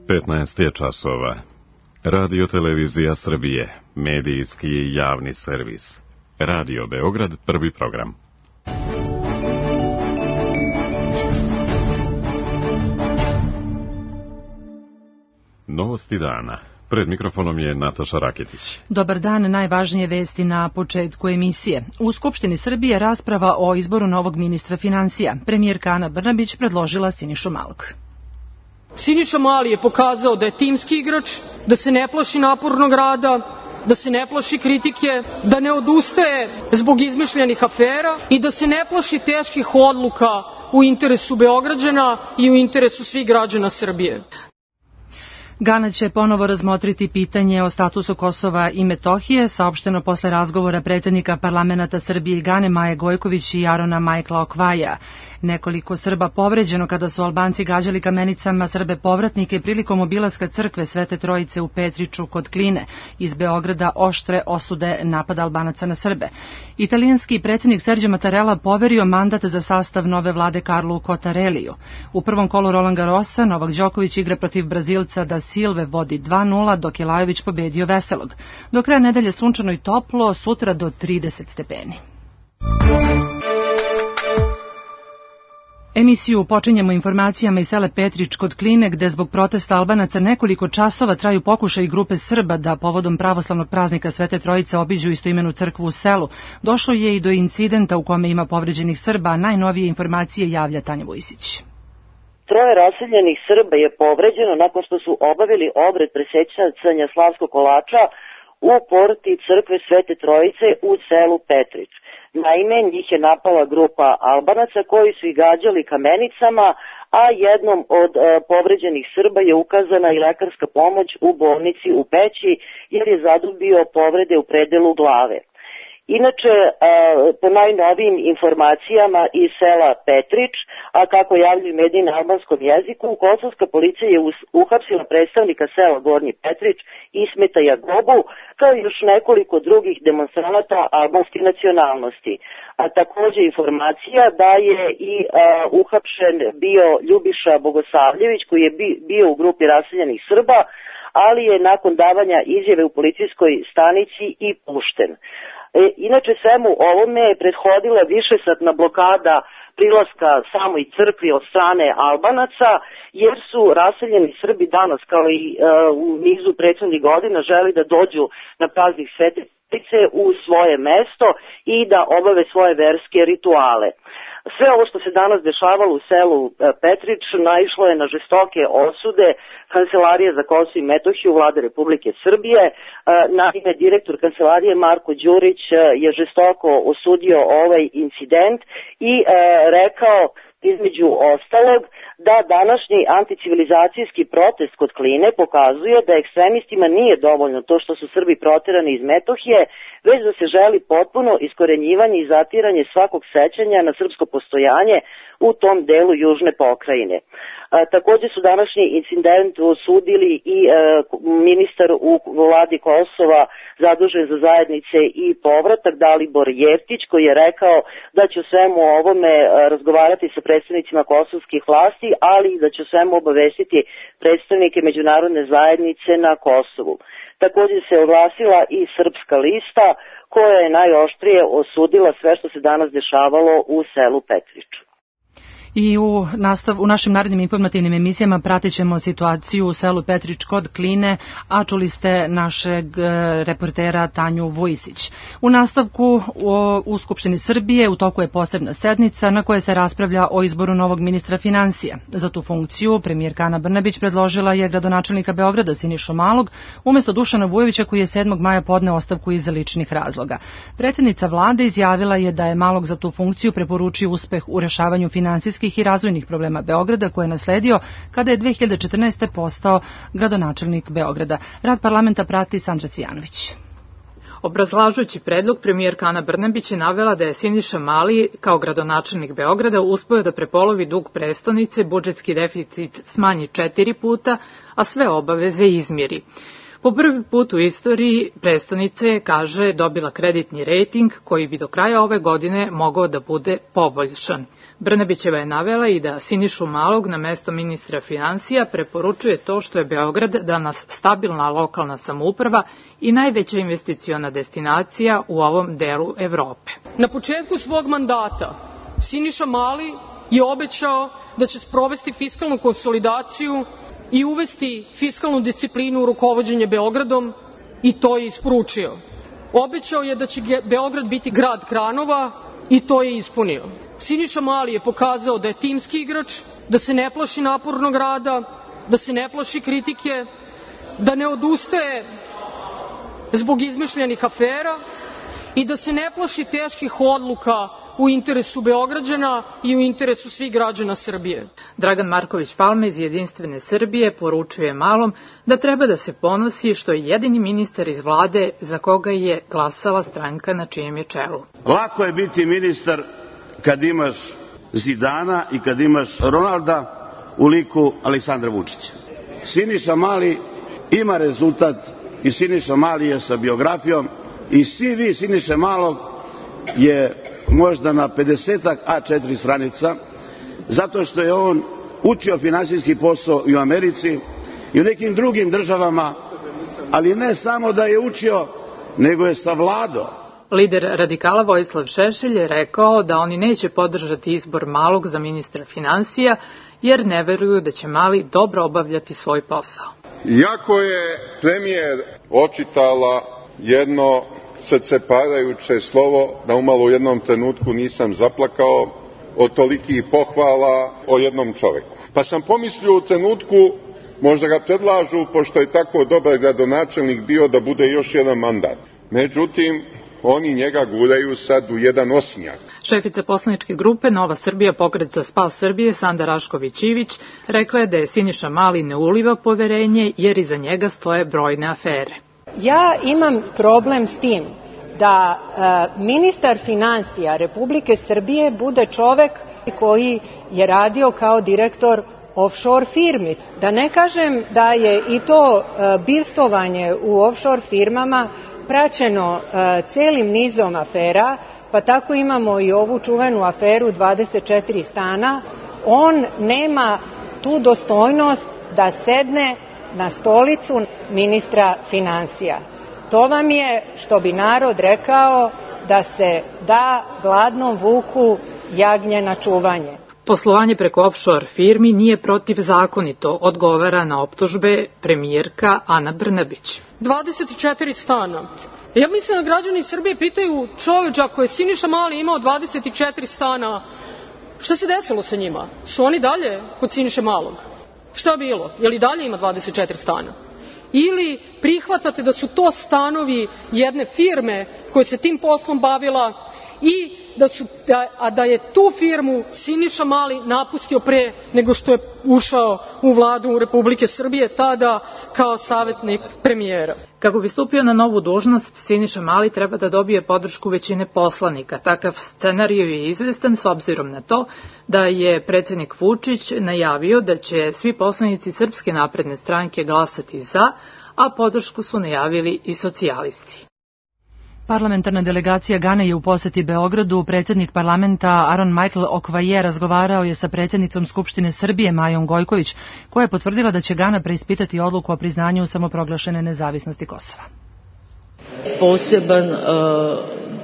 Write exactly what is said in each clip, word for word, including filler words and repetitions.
petnaest je časova. Radio Televizija Srbije, medijski i javni servis. Radio Beograd, prvi program. Novosti dana. Pred mikrofonom je Nataša Raketić. Dobar dan, najvažnije vesti na početku emisije. U Skupštini Srbije rasprava o izboru novog ministra finansija. Premijerka Ana Brnabić predložila Sinišu Malog. Siniša Mali je pokazao da je timski igrač, da se ne plaši napornog rada, da se ne plaši kritike, da ne odustaje zbog izmišljenih afera i da se ne plaši teških odluka u interesu Beograđana i u interesu svih građana Srbije. Gana će ponovo razmotriti pitanje o statusu Kosova i Metohije, saopšteno posle razgovora predsjednika parlamenta Srbije i Gane Maje Gojković i Arona Majkla Okvaja. Nekoliko Srba povređeno kada su Albanci gađali kamenicama Srbe povratnike prilikom obilaska crkve Svete Trojice u Petriču kod Kline. Iz Beograda oštre osude napada Albanaca na Srbe. Italijanski predsjednik Sergio Mattarella poverio mandat za sastav nove vlade Karlu Cottarelliju. U prvom kolu Roland Garrosa Novak Đoković igra protiv Brazilca da Silve vodi dva nula, dok je Lajović pobedio Veselog. Do kraja nedelje sunčano i toplo, sutra do trideset stepeni. Emisiju počinjemo informacijama iz sela Petrič kod Kline, gde zbog protesta Albanaca nekoliko časova traju pokušaj grupe Srba da povodom pravoslavnog praznika Svete Trojice obiđu istoimenu crkvu u selu. Došlo je i do incidenta u kome ima povređenih Srba, a najnovije informacije javlja Tanja Vujsić. Troje raseljenih Srba je povređeno nakon što su obavili obred presečanja slavskog kolača u porti crkve Svete Trojice u selu Petrič. Naime, njih je napala grupa Albanaca koji su ih gađali kamenicama, a jednom od e, povređenih Srba je ukazana i lekarska pomoć u bolnici u Peći jer je zadobio povrede u predelu glave. Inače, po najnovijim informacijama iz sela Petrič, a kako javljaju mediji na albanskom jeziku, kosovska policija je uhapsila predstavnika sela Gornji Petrič, Ismeta Jagobu, kao i još nekoliko drugih demonstranata albanske nacionalnosti. A također informacija da je i a, uhapšen bio Ljubiša Bogosavljević, koji je bio u grupi raseljenih Srba, ali je nakon davanja izjave u policijskoj stanici i pušten. E, inače, svemu ovome je prethodila višesatna blokada prilaska samoj crkvi od strane Albanaca, jer su raseljeni Srbi danas, kao i e, u nizu prethodnih godina, želi da dođu na praznik Svete Trojice u svoje mesto i da obave svoje verske rituale. Sve ovo što se danas dešavalo u selu Petrič naišlo je na žestoke osude Kancelarije za Kosovo i Metohiju Vlade Republike Srbije. Naime, direktor Kancelarije Marko Đurić je žestoko osudio ovaj incident i rekao između ostalog da današnji anticivilizacijski protest kod Kline pokazuje da ekstremistima nije dovoljno to što su Srbi proterani iz Metohije, već da se želi potpuno iskorenjivanje i zatiranje svakog sećanja na srpsko postojanje u tom delu južne pokrajine. A, također su današnji incident osudili i a, ministar u vladi Kosova zadužen za zajednice i povratak Dalibor Jeftić, koji je rekao da će o svemu ovome a, razgovarati sa predstavnicima kosovskih vlasti, ali i da će o svemu obavestiti predstavnike međunarodne zajednice na Kosovu. Također se oglasila i Srpska lista, koja je najoštrije osudila sve što se danas dešavalo u selu Petriču. I u, nastav, u našim narednim informativnim emisijama pratit ćemo situaciju u selu Petrič kod Kline, a čuli ste našeg reportera Tanju Vujsić. U nastavku u, u Skupštini Srbije u toku je posebna sednica na kojoj se raspravlja o izboru novog ministra finansija. Za tu funkciju premijerka Ana Brnabić predložila je gradonačelnika Beograda Sinišu Malog umjesto Dušana Vujovića, koji je sedmog maja podneo ostavku iz ličnih razloga. Predsjednica vlade izjavila je da je Malog za tu funkciju preporučio uspeh u rešavanju finansijskih i razvojnih problema Beograda koje je nasledio kada je dve hiljade četrnaeste. postao gradonačelnik Beograda. Rad parlamenta prati Sandra Cvijanović. Obrazlažući predlog, premijerka Ana Brnabić je navela da je Siniša Mali kao gradonačelnik Beograda uspeo da prepolovi dug prestonice, budžetski deficit smanji četiri puta, a sve obaveze izmiri. Po prvi put u istoriji prestonice, kaže, dobila kreditni rejting koji bi do kraja ove godine mogao da bude poboljšan. Brnabićeva je navela i da Sinišu Malog na mesto ministra finansija preporučuje to što je Beograd danas stabilna lokalna samouprava i najveća investiciona destinacija u ovom delu Evrope. Na početku svog mandata Siniša Mali je obećao da će sprovesti fiskalnu konsolidaciju i uvesti fiskalnu disciplinu u rukovođenje Beogradom i to je isporučio. Obećao je da će Beograd biti grad kranova i to je ispunio. Siniša Mali je pokazao da je timski igrač, da se ne plaši napornog rada, da se ne plaši kritike, da ne odustaje zbog izmišljenih afera i da se ne plaši teških odluka u interesu Beograđana i u interesu svih građana Srbije. Dragan Marković Palma iz Jedinstvene Srbije poručuje Malom da treba da se ponosi što je jedini ministar iz vlade za koga je glasala stranka na čijem je čelu. Lako je biti ministar kad imaš Zidana i kad imaš Ronalda u liku Aleksandra Vučića. Siniša Mali ima rezultat i Siniša Mali je sa biografijom i C V Siniše Malog je možda na pedesetak A četiri stranica, zato što je on učio finansijski posao i u Americi i u nekim drugim državama, ali ne samo da je učio, nego je savladao. Lider radikala Vojislav Šešelj je rekao da oni neće podržati izbor Malog za ministra finansija, jer ne veruju da će Mali dobro obavljati svoj posao. Iako je premijer očitala jedno srceparajuće slovo, da umalo u jednom trenutku nisam zaplakao od tolikih pohvala o jednom čoveku. Pa sam pomislio u trenutku, možda ga predlažu, pošto je tako dobar gradonačelnik bio, da bude još jedan mandat. Međutim, oni njega guraju sad u jedan osinjak. Šefica poslaničke grupe Nova Srbija, Pokret za spas Srbije, Sanda Rašković-Ivić, rekla je da je Siniša Mali ne uliva poverenje jer iza njega stoje brojne afere. Ja imam problem s tim da e, ministar finansija Republike Srbije bude čovek koji je radio kao direktor offshore firmi. Da ne kažem da je i to e, bivstvovanje u offshore firmama praćeno e, celim nizom afera, pa tako imamo i ovu čuvenu aferu dvadeset četiri stana. On nema tu dostojnost da sedne na stolicu ministra finansija. To vam je, što bi narod rekao, da se da gladnom vuku jagnje na čuvanje. Poslovanje preko offshore firmi nije protivzakonito, odgovara na optužbe premijerka Ana Brnabić. dvadeset četiri stana. Ja mislim da građani Srbije pitaju, čoveč, ako je Siniša Mali imao dvadeset četiri stana, šta se desilo sa njima? Su oni dalje kod Siniše Malog? Šta je bilo? Je li dalje ima dvadeset četiri stana? Ili prihvatate da su to stanovi jedne firme koja se tim poslom bavila i da, su, da, a da je tu firmu Siniša Mali napustio pre nego što je ušao u vladu Republike Srbije, tada kao savjetnik premijera. Kako bi stupio na novu dužnost, Siniša Mali treba da dobije podršku većine poslanika. Takav scenarij je izvestan s obzirom na to da je predsjednik Vučić najavio da će svi poslanici Srpske napredne stranke glasati za, a podršku su najavili i socijalisti. Parlamentarna delegacija Gane je u poseti Beogradu. Predsjednik parlamenta Aron Michael Okvaje razgovarao je sa predsjednicom Skupštine Srbije Majom Gojković, koja je potvrdila da će Gana preispitati odluku o priznanju samoproglašene nezavisnosti Kosova. Poseban uh,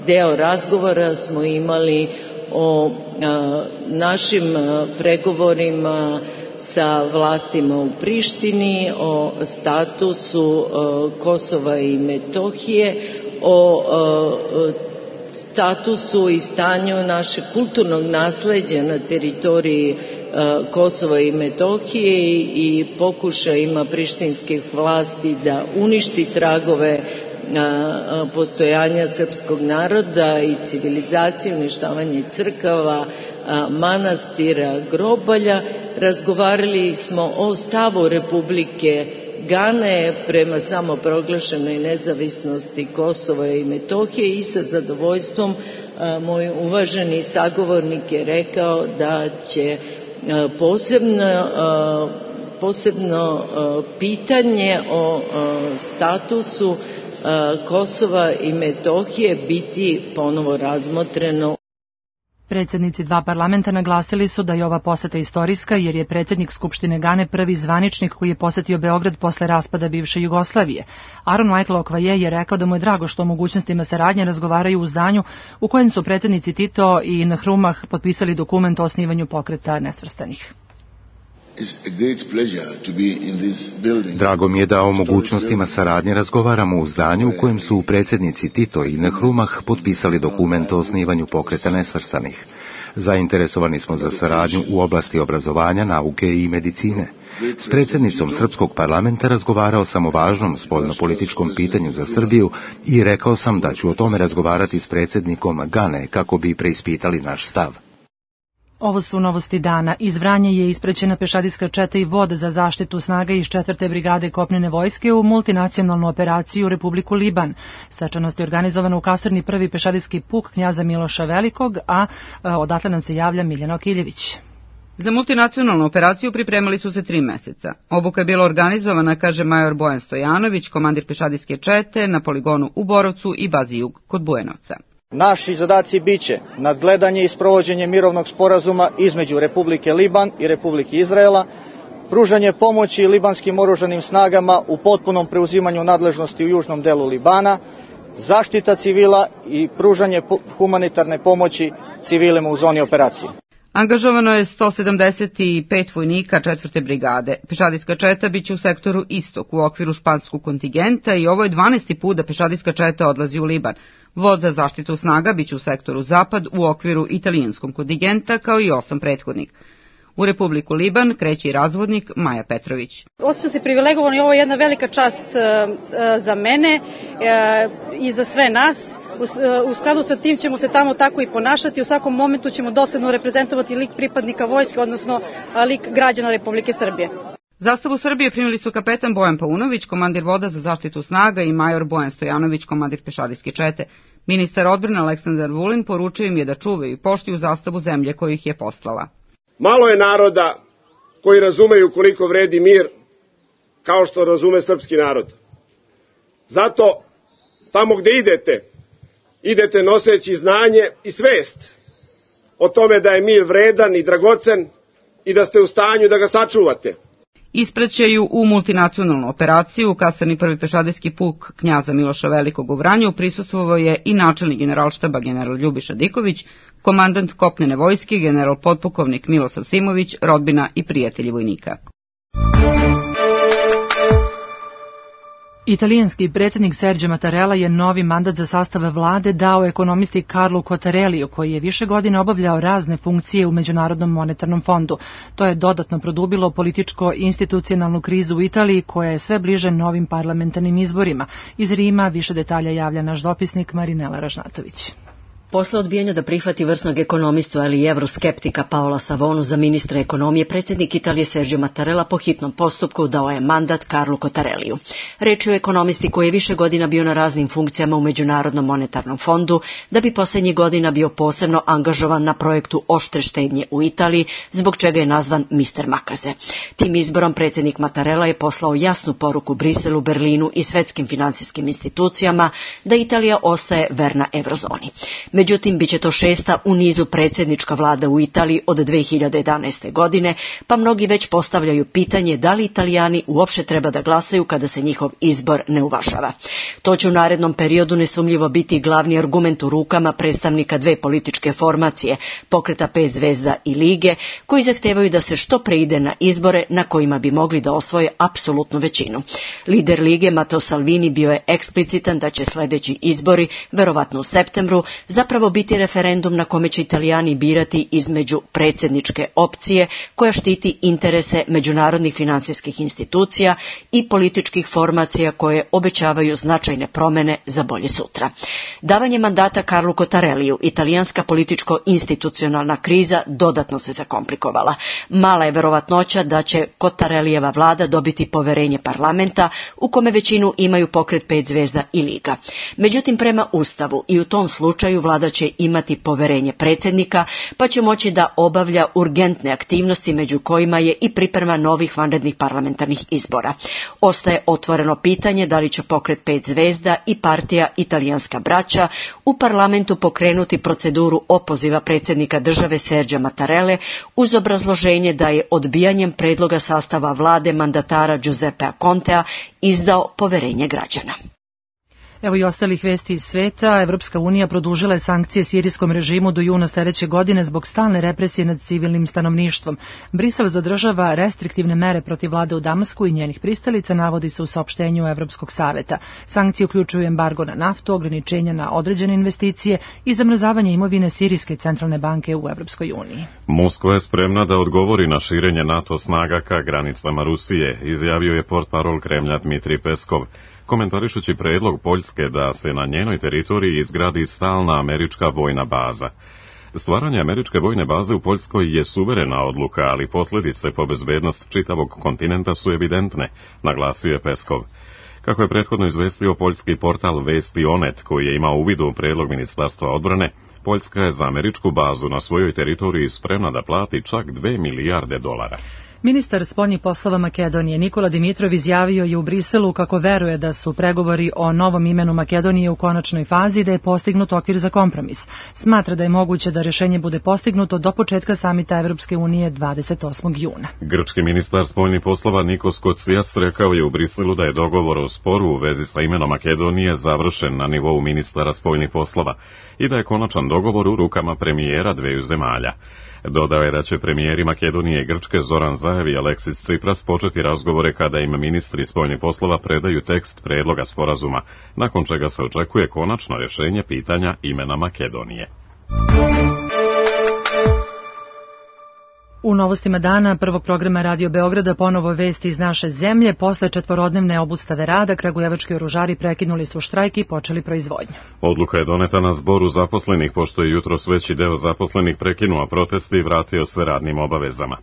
deo razgovora smo imali o uh, našim uh, pregovorima sa vlastima u Prištini, o statusu uh, Kosova i Metohije, o uh, statusu i stanju našeg kulturnog nasleđa na teritoriji uh, Kosova i Metohije i, i pokušajima prištinskih vlasti da uništi tragove uh, postojanja srpskog naroda i civilizacije, uništavanje crkava, uh, manastira, grobalja. Razgovarali smo o stavu Republike Gane prema samoproglašenoj nezavisnosti Kosova i Metohije i sa zadovoljstvom a, moj uvaženi sagovornik je rekao da će a, posebno, a, posebno a, pitanje o a, statusu a, Kosova i Metohije biti ponovo razmotreno. Predsjednici dva parlamenta naglasili su da je ova poseta istorijska jer je predsjednik Skupštine Gane prvi zvaničnik koji je posetio Beograd posle raspada bivše Jugoslavije. Aaron Michael Okvaje je rekao da mu je drago što o mogućnostima saradnje razgovaraju u zdanju u kojem su predsjednici Tito i Nkrumah potpisali dokument o osnivanju pokreta nesvrstanih. Drago mi je da o mogućnostima saradnje razgovaramo u zdanju u kojem su predsjednici Tito i Nkrumah potpisali dokument o osnivanju pokreta nesvrstanih. Zainteresovani smo za saradnju u oblasti obrazovanja, nauke i medicine. S predsjednicom Srpskog parlamenta razgovarao sam o važnom spoljnopolitičkom pitanju za Srbiju i rekao sam da ću o tome razgovarati s predsjednikom Gane kako bi preispitali naš stav. Ovo su novosti dana. Iz Vranja je ispraćena pešadijska četa i vod za zaštitu snaga iz četvrte brigade kopnene vojske u multinacionalnu operaciju u Republiku Liban. Svečanost je organizovana u kasarni prvi pešadijski puk knjaza Miloša Velikog, a odatle nam se javlja Miljana Okiljević. Za multinacionalnu operaciju pripremali su se tri meseca. Obuka je bila organizovana, kaže major Bojan Stojanović, komandir pešadijske čete na poligonu u Borovcu i bazi Jug kod Bujanovca. Naši zadaci biće nadgledanje i sprovođenje mirovnog sporazuma između Republike Liban i Republike Izraela, pružanje pomoći libanskim oružanim snagama u potpunom preuzimanju nadležnosti u južnom delu Libana, zaštita civila i pružanje humanitarne pomoći civilima u zoni operacije. Angažovano je sto sedamdeset pet vojnika četvrte brigade. Pešadijska četa biće u sektoru Istok u okviru španskog kontingenta i ovo je dvanaesti put da pešadijska četa odlazi u Liban. Vod za zaštitu snaga biće u sektoru Zapad u okviru italijanskog kontingenta kao i osam prethodnih. U Republiku Liban kreće i razvodnik Maja Petrović. Osjećam se privilegovano i ovo je jedna velika čast za mene i za sve nas. U skladu sa tim ćemo se tamo tako i ponašati. U svakom momentu ćemo dosledno reprezentovati lik pripadnika vojske, odnosno lik građana Republike Srbije. Zastavu Srbije primili su kapetan Bojan Paunović, komandir voda za zaštitu snaga i major Bojan Stojanović, komandir pešadijske čete. Ministar odbrane Aleksandar Vulin poručio im je da čuvaju i poštuju zastavu zemlje koju ih je poslala. Malo je naroda koji razumeju koliko vredi mir kao što razume srpski narod. Zato tamo gde idete, idete noseći znanje i svest o tome da je mir vredan i dragocen i da ste u stanju da ga sačuvate. Ispraćaju u multinacionalnu operaciju u kasarni prvi pešadijski puk knjaza Miloša Velikog u Vranju prisustvovao je i načelnik generalštaba general Ljubiša Diković, komandant kopnene vojske general potpukovnik Milosav Simović, rodbina i prijatelji vojnika. Italijanski predsjednik Sergio Mattarella je novi mandat za sastav vlade dao ekonomisti Carlu Cottarelliju, koji je više godina obavljao razne funkcije u Međunarodnom monetarnom fondu. To je dodatno produbilo političko-institucionalnu krizu u Italiji, koja je sve bliže novim parlamentarnim izborima. Iz Rima više detalja javlja naš dopisnik Marinela Ražnatović. Posle odbijanja da prihvati vrsnog ekonomistu, ali i evroskeptika Paola Savonu za ministra ekonomije, predsjednik Italije Sergio Mattarella po hitnom postupku dao je mandat Carlu Cottarelliju. Reč je o ekonomisti koji je više godina bio na raznim funkcijama u Međunarodnom monetarnom fondu, da bi posljednjih godina bio posebno angažovan na projektu oštre štednje u Italiji, zbog čega je nazvan mister Makaze. Tim izborom predsjednik Mattarella je poslao jasnu poruku Briselu, Berlinu i svetskim finansijskim institucijama da Italija ostaje verna eurozoni. Međutim, bit će to šesta u nizu predsjednička vlada u Italiji od dve hiljade jedanaeste. godine, pa mnogi već postavljaju pitanje da li Italijani uopšte treba da glasaju kada se njihov izbor ne uvažava. To će u narednom periodu nesumljivo biti glavni argument u rukama predstavnika dve političke formacije, Pokreta pet zvezda i Lige, koji zahtevaju da se što pre ide na izbore na kojima bi mogli da osvoje apsolutnu većinu. Lider Lige, Matteo Salvini, bio je eksplicitan da će sljedeći izbori, verovatno u septembru, zapravo biti referendum na kome će Italijani birati između predsjedničke opcije koja štiti interese međunarodnih finansijskih institucija i političkih formacija koje obećavaju značajne promjene za bolje sutra. Davanje mandata Carlu Cottarelliju, italijanska političko-institucionalna kriza dodatno se zakomplikovala. Mala je verovatnoća da će Cottarellijeva vlada dobiti poverenje parlamenta, u kome većinu imaju Pokret pet zvezda i Liga. Međutim, prema Ustavu i u tom slučaju vlada sada će imati poverenje predsjednika, pa će moći da obavlja urgentne aktivnosti, među kojima je i priprema novih vanrednih parlamentarnih izbora. Ostaje otvoreno pitanje da li će pokret pet zvezda i partija Italijanska braća u parlamentu pokrenuti proceduru opoziva predsjednika države Serđa Mattarelle uz obrazloženje da je odbijanjem predloga sastava vlade mandatara Giuseppea Contea izdao poverenje građana. Evo i ostalih vesti iz sveta. Evropska unija produžila je sankcije sirijskom režimu do juna sljedeće godine zbog stalne represije nad civilnim stanovništvom. Brisel zadržava restriktivne mere protiv vlade u Damasku i njenih pristalica, navodi se u saopštenju Evropskog saveta. Sankcije uključuju embargo na naftu, ograničenja na određene investicije i zamrzavanje imovine Sirijske centralne banke u Evropskoj uniji. Moskva je spremna da odgovori na širenje NATO snaga ka granicama Rusije, izjavio je portparol Kremlja Dmitrij Peskov, komentarišući predlog Poljske da se na njenoj teritoriji izgradi stalna američka vojna baza. Stvaranje američke vojne baze u Poljskoj je suverena odluka, ali posljedice po bezbednost čitavog kontinenta su evidentne, naglasio je Peskov. Kako je prethodno izvestio poljski portal Vesti Onet, koji je imao uvid u predlog Ministarstva odbrane, Poljska je za američku bazu na svojoj teritoriji spremna da plati čak dve milijarde dolara. Ministar spoljnih poslova Makedonije Nikola Dimitrov izjavio je u Briselu kako veruje da su pregovori o novom imenu Makedonije u konačnoj fazi i da je postignut okvir za kompromis. Smatra da je moguće da rješenje bude postignuto do početka samita Evropske unije dvadeset osmog juna. Grčki ministar spoljnih poslova Nikos Kotsijas rekao je u Briselu da je dogovor o sporu u vezi sa imenom Makedonije završen na nivou ministara spoljnih poslova i da je konačan dogovor u rukama premijera dveju zemalja. Dodao je da će premijeri Makedonije i Grčke Zoran Zaev i Aleksis Tsipras početi razgovore kada im ministri spoljnih poslova predaju tekst predloga sporazuma, nakon čega se očekuje konačno rješenje pitanja imena Makedonije. U novostima dana prvog programa Radio Beograda ponovo vesti iz naše zemlje. Posle četvorodnevne obustave rada, kragujevački oružari prekinuli su štrajk i počeli proizvodnju. Odluka je doneta na zboru zaposlenih, pošto je jutros veći deo zaposlenih prekinuo proteste i vratio se radnim obavezama.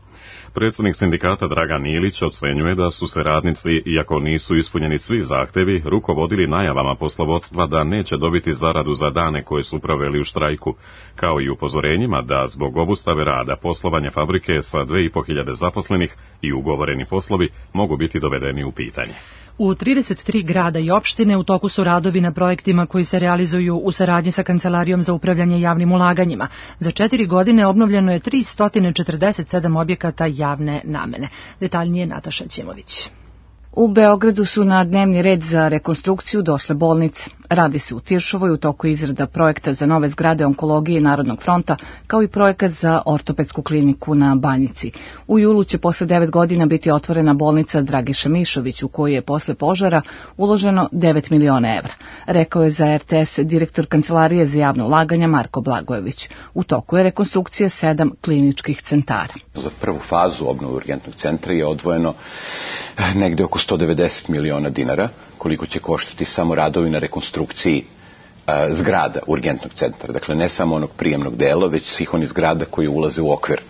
Predsjednik sindikata Dragan Ilić ocenjuje da su se radnici, iako nisu ispunjeni svi zahtevi, rukovodili najavama poslovodstva da neće dobiti zaradu za dane koje su proveli u štrajku, kao i upozorenjima da zbog obustave rada poslovanje fabrike sa dve i po hiljade zaposlenih i ugovoreni poslovi mogu biti dovedeni u pitanje. U trideset tri grada i opštine u toku su radovi na projektima koji se realizuju u saradnji sa Kancelarijom za upravljanje javnim ulaganjima. Za četiri godine obnovljeno je tristo četrdeset sedam objekata javne namene. Detaljnije Nataša Ćimović. U Beogradu su na dnevni red za rekonstrukciju došle bolnice. Radi se u Tiršovoj, u toku izrada projekta za nove zgrade onkologije Narodnog fronta, kao i projekat za ortopedsku kliniku na Banjici. U julu će posle devet godina biti otvorena bolnica Dragiša Mišović, u kojoj je posle požara uloženo devet miliona evra, rekao je za R T S direktor Kancelarije za javno ulaganja Marko Blagojević. U toku je rekonstrukcija sedam kliničkih centara. Za prvu fazu obnove urgentnog centra je odvojeno negde oko sto devedeset miliona dinara, koliko će koštati samo radovi na rekonstrukciji a, zgrada urgentnog centra. Dakle, ne samo onog prijemnog dela, već svih onih zgrada koji ulaze u okvir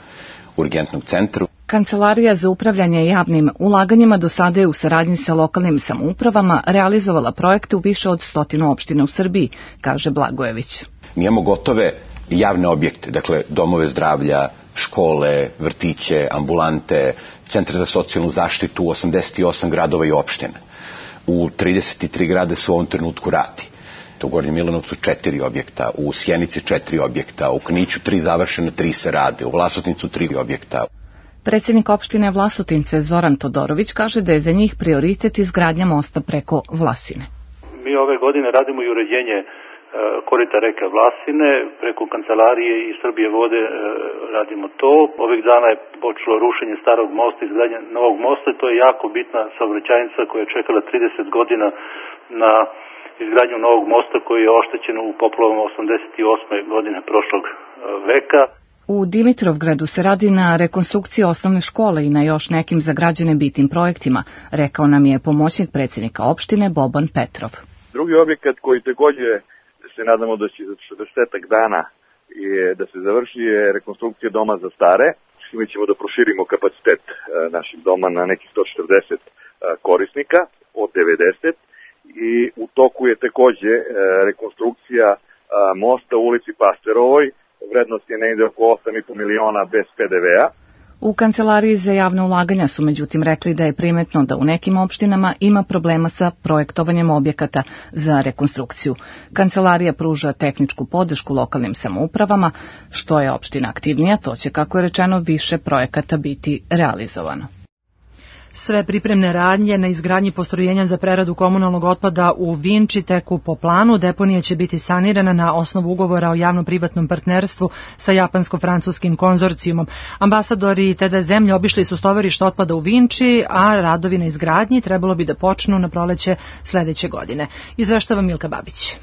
urgentnog centra. Kancelarija za upravljanje javnim ulaganjima do sada je u saradnji sa lokalnim samoupravama realizovala projekte u više od stotinu opština u Srbiji, kaže Blagojević. Mi imamo gotove javne objekte, dakle domove zdravlja, škole, vrtiće, ambulante, centre za socijalnu zaštitu u osamdeset osam gradova i opština. U trideset tri grade su u ovom trenutku radi. U Gornjem Milanovcu četiri objekta, u Sjenici četiri objekta, u Kniću tri završene, tri se rade, u Vlasotincu tri objekta. Predsjednik opštine Vlasotince Zoran Todorović kaže da je za njih prioritet izgradnja mosta preko Vlasine. Mi ove godine radimo i uređenje korita reke Vlasine, preko kancelarije i Srbije vode radimo to. Ovih dana je počelo rušenje starog mosta, izgradnja novog mosta i to je jako bitna saobraćajnica koja je čekala trideset godina na izgradnju novog mosta koji je oštećen u poplavama osamdeset osme godine prošlog veka. U Dimitrovgradu se radi na rekonstrukciji osnovne škole i na još nekim za građane bitnim projektima, rekao nam je pomoćnik predsjednika opštine Boban Petrov. Drugi objekat koji također se nadamo da će za četrdesetak dana je da se završi je rekonstrukcija doma za stare. Mi ćemo da proširimo kapacitet naših doma na nekih sto četrdeset korisnika od devedeset i u toku je također rekonstrukcija mosta u ulici Pasterovoj. Vrednost je negde oko osam i po miliona bez pe de vea. U Kancelariji za javne ulaganja su međutim rekli da je primetno da u nekim opštinama ima problema sa projektovanjem objekata za rekonstrukciju. Kancelarija pruža tehničku podršku lokalnim samoupravama. Što je opština aktivnija, to će, kako je rečeno, više projekata biti realizovano. Sve pripremne radnje na izgradnji postrojenja za preradu komunalnog otpada u Vinči teku po planu. Deponija će biti sanirana na osnovu ugovora o javno-privatnom partnerstvu sa japansko-francuskim konzorcijumom. Ambasadori te da zemlje obišli su stovarište otpada u Vinči, a radovi na izgradnji trebalo bi da počnu na proleće sledeće godine. Izveštava Milka Babić.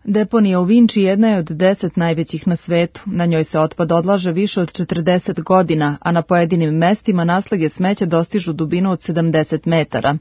Deponija u Vinči jedna je od deset najvećih na svetu. Na njoj se otpad odlaže više od četrdeset godina, a na pojedinim mestima naslage smeća dostižu dubinu od sedamdeset metara.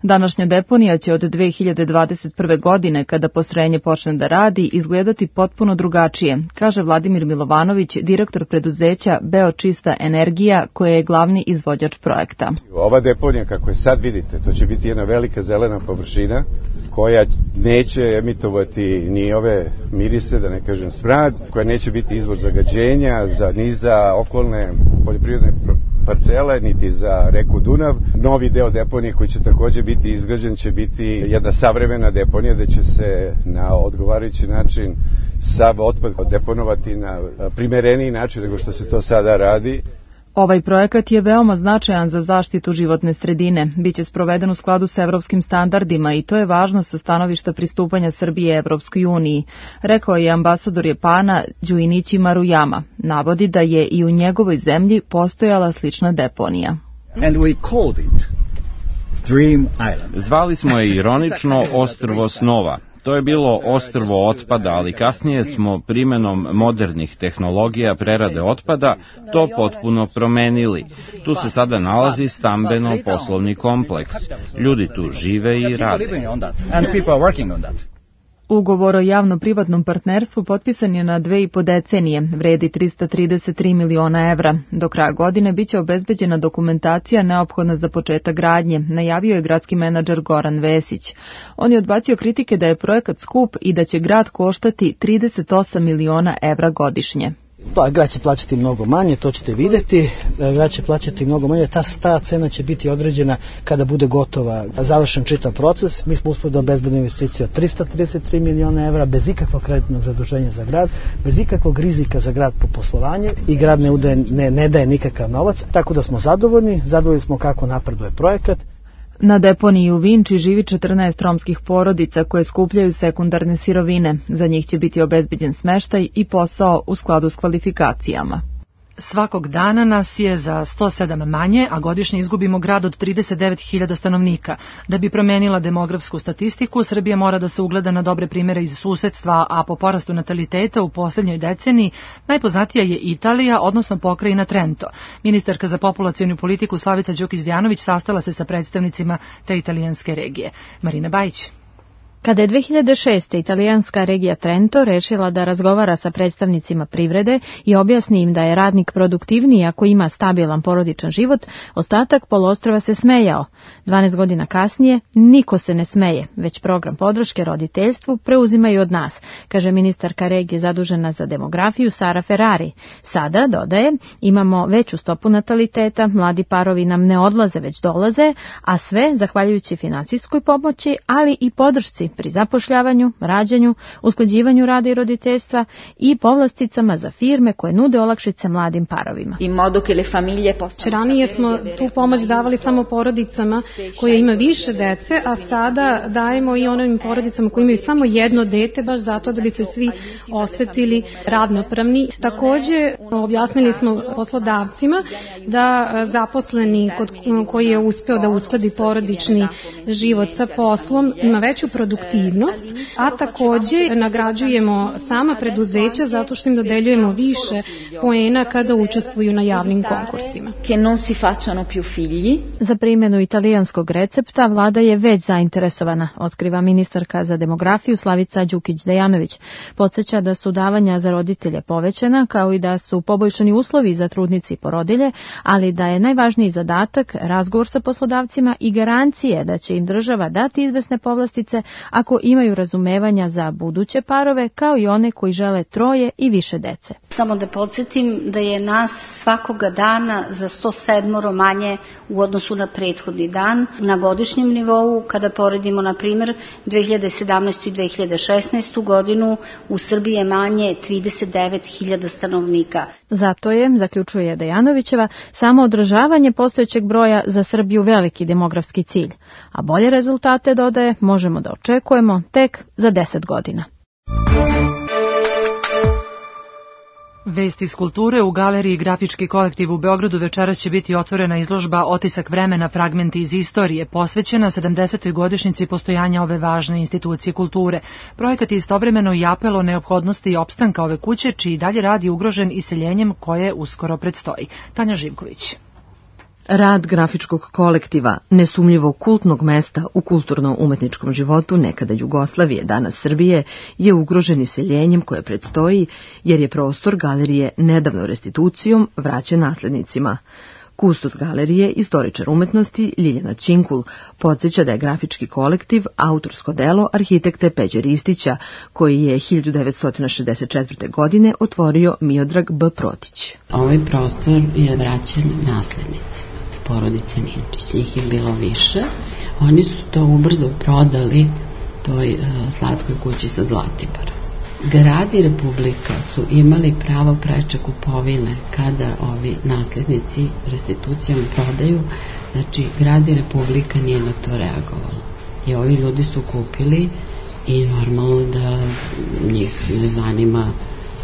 Današnja deponija će od dve hiljade dvadeset prve. godine, kada postrojenje počne da radi, izgledati potpuno drugačije, kaže Vladimir Milovanović, direktor preduzeća Beočista energija, koja je glavni izvođač projekta. Ova deponija, kako je sad vidite, to će biti jedna velika zelena površina koja neće emitovati ni ove mirise, da ne kažem smrad, koja neće biti izvor zagađenja za, ni za okolne poljoprivredne parcele, niti za reku Dunav. Novi deo deponije koji će takođe biti izgrađen će biti jedna savremena deponija gde će se na odgovarajući način sav otpad deponovati na primereniji način nego što se to sada radi. Ovaj projekat je veoma značajan za zaštitu životne sredine. Biće sproveden u skladu sa evropskim standardima i to je važno sa stanovišta pristupanja Srbije Evropskoj uniji, rekao je ambasador Japana Junichi Maruyama. Navodi da je i u njegovoj zemlji postojala slična deponija. And we called it Dream Island. Zvali smo je ironično ostrvo snova. To je bilo ostrvo otpada, ali kasnije smo primenom modernih tehnologija prerade otpada to potpuno promenili. Tu se sada nalazi stambeno-poslovni kompleks. Ljudi tu žive i rade. Ugovor o javno-privatnom partnerstvu potpisan je na dve i po decenije, vredi trista trideset tri miliona evra. Do kraja godine biće obezbeđena dokumentacija neophodna za početak gradnje, najavio je gradski menadžer Goran Vesić. On je odbacio kritike da je projekat skup i da će grad koštati trideset osam miliona evra godišnje. Da, grad će plaćati mnogo manje, to ćete vidjeti, grad će plaćati mnogo manje, ta, ta cena će biti određena kada bude gotova, završen čitav proces. Mi smo uspeli da obezbedimo investiciju od trista trideset tri miliona evra, bez ikakvog kreditnog zaduženja za grad, bez ikakvog rizika za grad po poslovanju i grad ne, udaje, ne, ne daje nikakav novac, tako da smo zadovoljni, zadovoljni smo kako napreduje projekat. Na deponiji u Vinči živi četrnaest romskih porodica koje skupljaju sekundarne sirovine. Za njih će biti obezbeđen smeštaj i posao u skladu s kvalifikacijama. Svakog dana nas je za sto sedam manje, a godišnje izgubimo grad od trideset devet hiljada stanovnika. Da bi promenila demografsku statistiku, Srbija mora da se ugleda na dobre primere iz susedstva, a po porastu nataliteta u poslednjoj deceniji najpoznatija je Italija, odnosno pokrajina Trento. Ministarka za populacionu politiku Slavica Đukić-Dejanović sastala se sa predstavnicima te italijanske regije. Marina Bajić. Kada je dve hiljade šeste. italijanska regija Trento rešila da razgovara sa predstavnicima privrede i objasni im da je radnik produktivniji ako ima stabilan porodičan život, ostatak poluostrva se smejao. dvanaest godina kasnije niko se ne smeje, već program podrške roditeljstvu preuzimaju od nas, kaže ministarka regije zadužena za demografiju Sara Ferrari. Sada, dodaje, imamo veću stopu nataliteta, mladi parovi nam ne odlaze već dolaze, a sve zahvaljujući financijskoj pomoći, ali i podršci pri zapošljavanju, rađanju, usklađivanju rada i roditeljstva i povlasticama za firme koje nude olakšice mladim parovima. Ranije smo tu pomoć davali samo porodicama koje ima više dece, a sada dajemo i onim porodicama koji imaju samo jedno dete, baš zato da bi se svi osetili ravnopravni. Takođe, objasnili smo poslodavcima da zaposleni kod koji je uspeo da uskladi porodični život sa poslom ima veću produktivnost, a takođe nagrađujemo sama preduzeća zato što im dodeljujemo više poena kada učestvuju na javnim konkursima. Za primjenu italijanskog recepta vlada je već zainteresovana, otkriva ministarka za demografiju Slavica Đukić-Dejanović. Podsjeća da su davanja za roditelje povećana, kao i da su poboljšani uslovi za trudnice i porodilje, ali da je najvažniji zadatak razgovor sa poslodavcima i garancije da će im država dati izvesne povlastice ako imaju razumevanja za buduće parove, kao i one koji žele troje i više dece. Samo da podsjetim da je nas svakoga dana za sto sedam manje u odnosu na prethodni dan na godišnjem nivou. Kada poredimo, na primjer, dve hiljade sedamnaestu. i dve hiljade šesnaestu. godinu, u Srbiji je manje trideset devet hiljada stanovnika. Zato je, zaključuje Dejanovićeva, samo održavanje postojećeg broja za Srbiju veliki demografski cilj, a bolje rezultate, dodaje, možemo da očekujemo tek za deset godina. Vesti iz kulture. U galeriji Grafički kolektiv u Beogradu večeras će biti otvorena izložba Otisak vremena, fragmenti iz istorije, posvećena sedamdesetoj godišnjici postojanja ove važne institucije kulture. Projekat je istovremeno i apel o neophodnosti i opstanka ove kuće, čiji dalje rad je ugrožen iseljenjem koje uskoro predstoji. Tanja Živković. Rad grafičkog kolektiva, nesumnjivo kultnog mesta u kulturno-umetničkom životu nekada Jugoslavije, danas Srbije, je ugrožen iseljenjem koje predstoji, jer je prostor galerije nedavno restitucijom vraćen naslednicima. Kustos galerije, istoričar umetnosti Ljiljana Činkul, podsjeća da je grafički kolektiv autorsko delo arhitekte Peđe Ristića, koji je hiljadu devetsto šezdeset četvrte. godine otvorio Miodrag B. Protić. Ovaj prostor je vraćen naslednicima porodice Ninčić, njih je bilo više. Oni su to ubrzo prodali toj uh, slatkoj kući sa Zlatiborom. Grad i Republika su imali pravo preče kupovine kada ovi naslednici restitucijom prodaju, znači Grad i Republika nije na to reagovala. I ovi ljudi su kupili i normalno da njih ne zanima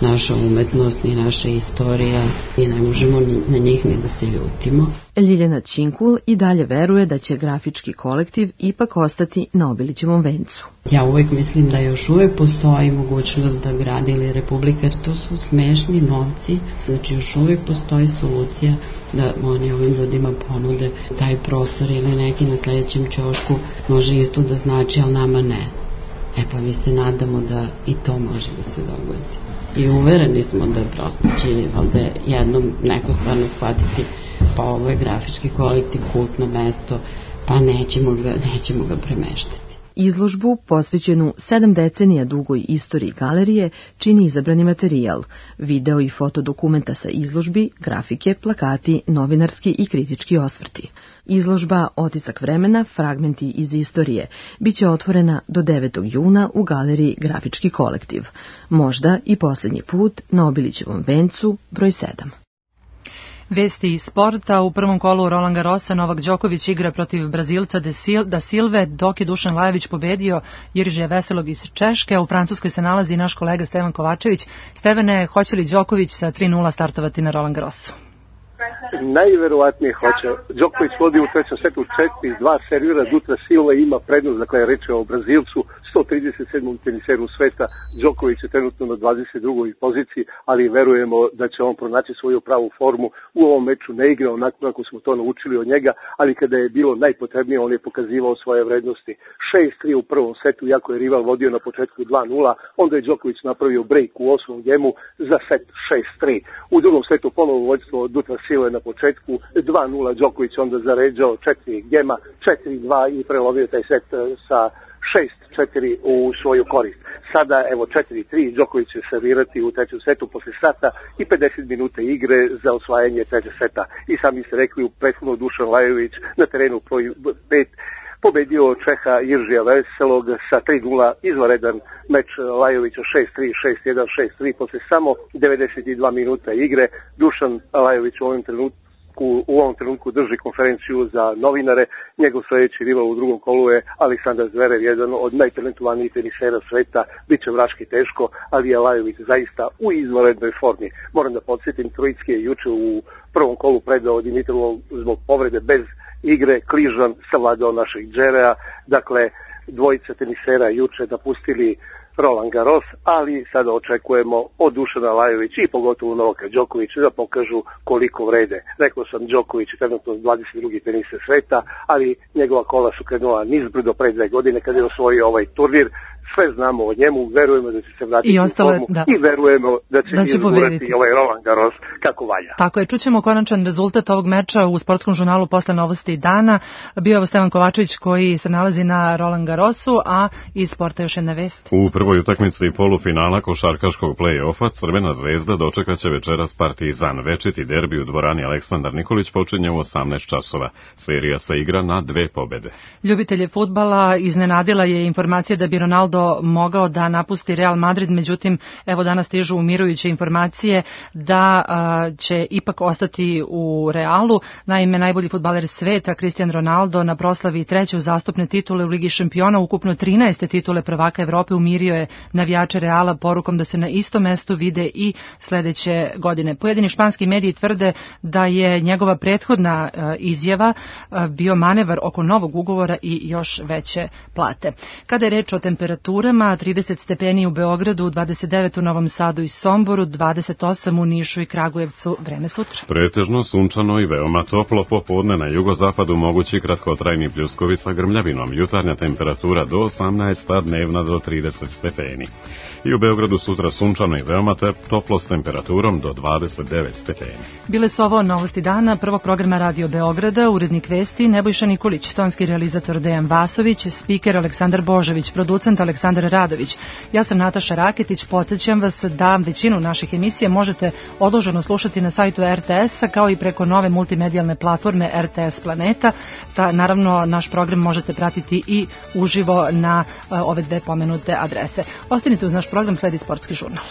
naša umetnost ni naša istorija i ne možemo na njih ni da se ljutimo. Ljiljana Činkul i dalje veruje da će grafički kolektiv ipak ostati na Obilićevom vencu. Ja uvek mislim da još uvek postoji mogućnost da Grad ili Republika, jer to su smešni novci, znači još uvek postoji solucija da oni ovim ljudima ponude taj prostor ili neki na sledećem ćošku može isto da znači, ali nama ne. E pa mi se nadamo da i to može da se dogodi. I uvereni smo da prosto će valjda jednom neko stvarno shvatiti, pa ovo je grafički kolektiv, kultno mesto, pa nećemo ga, nećemo ga premeštati. Izložbu, posvećenu sedam decenija dugoj istoriji galerije, čini izabrani materijal, video i fotodokumenta sa izložbi, grafike, plakati, novinarski i kritički osvrti. Izložba Otisak vremena, fragmenti iz istorije, biće otvorena do devetog juna u galeriji Grafički kolektiv. Možda i posljednji put na Obilićevom vencu broj sedam. Vesti iz sporta. U prvom kolu Roland Garrosa Novak Đoković igra protiv Brazilca Da Silve, dok je Dušan Lajović pobedio Jiržija Veselog iz Češke. U Francuskoj se nalazi naš kolega Stevan Kovačević. Stevane, hoće li Đoković sa tri nula startovati na Roland Garrosu? Najverovatnije hoće. Đoković vodi u trećem setu četiri dva, servira Dutra Silva i ima prednost, dakle reč je o Brazilcu, sto trideset sedmom teniseru sveta. Đoković je trenutno na dvadeset drugoj poziciji, ali verujemo da će on pronaći svoju pravu formu. U ovom meču ne igra onako kako smo to naučili od njega, ali kada je bilo najpotrebnije on je pokazivao svoje vrednosti. šest tri u prvom setu, iako je rival vodio na početku dva nula, onda je Đoković napravio break u osmom gemu za set šest tri. U drugom setu ponovo vođstvo Dutra Silva na početku dva nula, Đoković onda zaređao četiri gema, četiri dva i prelovio taj set sa šest četiri u svoju korist. Sada, evo, četiri tri, Đoković će servirati u trećem setu posle sata i pedeset minuta igre za osvajanje trećeg seta. I sami ste rekli, u prethodno Dušan Lajović na terenu broj pet pobedio Čeha Jiržija Veselog sa tri nula, izvanredan meč Lajovića šest tri, šest jedan, šest tri, posle samo devedeset dva minuta igre. Dušan Lajović u ovom trenutku u ovom trenutku drži konferenciju za novinare. Njegov sledeći rival u drugom kolu je Aleksandar Zverev, jedan od najtalentovanijih tenisera sveta. Biće vraški teško, ali je Lajović zaista u izvanrednoj formi. Moram da podsjetim, Trojicki je juče u prvom kolu predao Dimitrovu zbog povrede bez igre. Kližan savladao našeg Džerea. Dakle, dvojica tenisera juče napustili Roland Garros, ali sada očekujemo od Dušana Lajovića i pogotovo Novaka Đokovića da pokažu koliko vrede. Rekao sam, Đoković je trenutno dvadeset drugi teniser sveta, ali njegova kola su krenula nizbrdo pre dve godine kada je osvojio ovaj turnir. sve znamo o njemu, verujemo da će se vratiti I ostale, u formu da. i verujemo da će, da će izgurati ovaj Roland Garros kako valja. Tako je, čućemo konačan rezultat ovog meča u sportskom žurnalu posle novosti dana. Bio je Stevan Kovačević koji se nalazi na Roland Garrosu, a iz sporta još jedna vest. U prvoj utakmici polufinala košarkaškog play-offa Crvena zvezda dočekaće večeras Partizan. Večiti derbi u dvorani Aleksandar Nikolić počinje u osamnaest časova. Serija se igra na dve pobede. Ljubitelje fudbala iznenadila je informacija da bi Ronaldo mogao da napusti Real Madrid, međutim, evo danas stižu umirujuće informacije da a, će ipak ostati u Realu. Naime, najbolji fudbaler sveta, Cristiano Ronaldo, na proslavi treće uzastopne titule u Ligi šampiona, ukupno trinaeste titule prvaka Evrope, umirio je navijače Reala porukom da se na istom mestu vide i sledeće godine. Pojedini španski mediji tvrde da je njegova prethodna a, izjava a, bio manevar oko novog ugovora i još veće plate. Kada je reč o temperaturama, trideset stepeni u Beogradu, dvadeset devet u Novom Sadu i Somboru, dvadeset osam u Nišu i Kragujevcu. Vreme sutra. Pretežno sunčano i veoma toplo, popodne na jugozapadu mogući kratkotrajni pljuskovi sa grmljavinom. Jutarnja temperatura do osamnaest, a dnevna do trideset stepeni. I u Beogradu sutra sunčano i veoma toplo s temperaturom do dvadeset devet stepeni. Bile su ovo novosti dana prvog programa Radio Beograda, urednik vesti Nebojša Nikolić, tonski realizator Dejan Vasović, spiker Aleksandar Božović, producent Aleksandar Radović. Ja sam Nataša Raketić, podsjećam vas da većinu naših emisija možete odloženo slušati na sajtu er te es-a kao i preko nove multimedijalne platforme er te es Planeta. Ta, naravno, naš program možete pratiti i uživo na uh, ove dve pomenute adrese. Ostanite uz naš program, sledi sportski žurnal.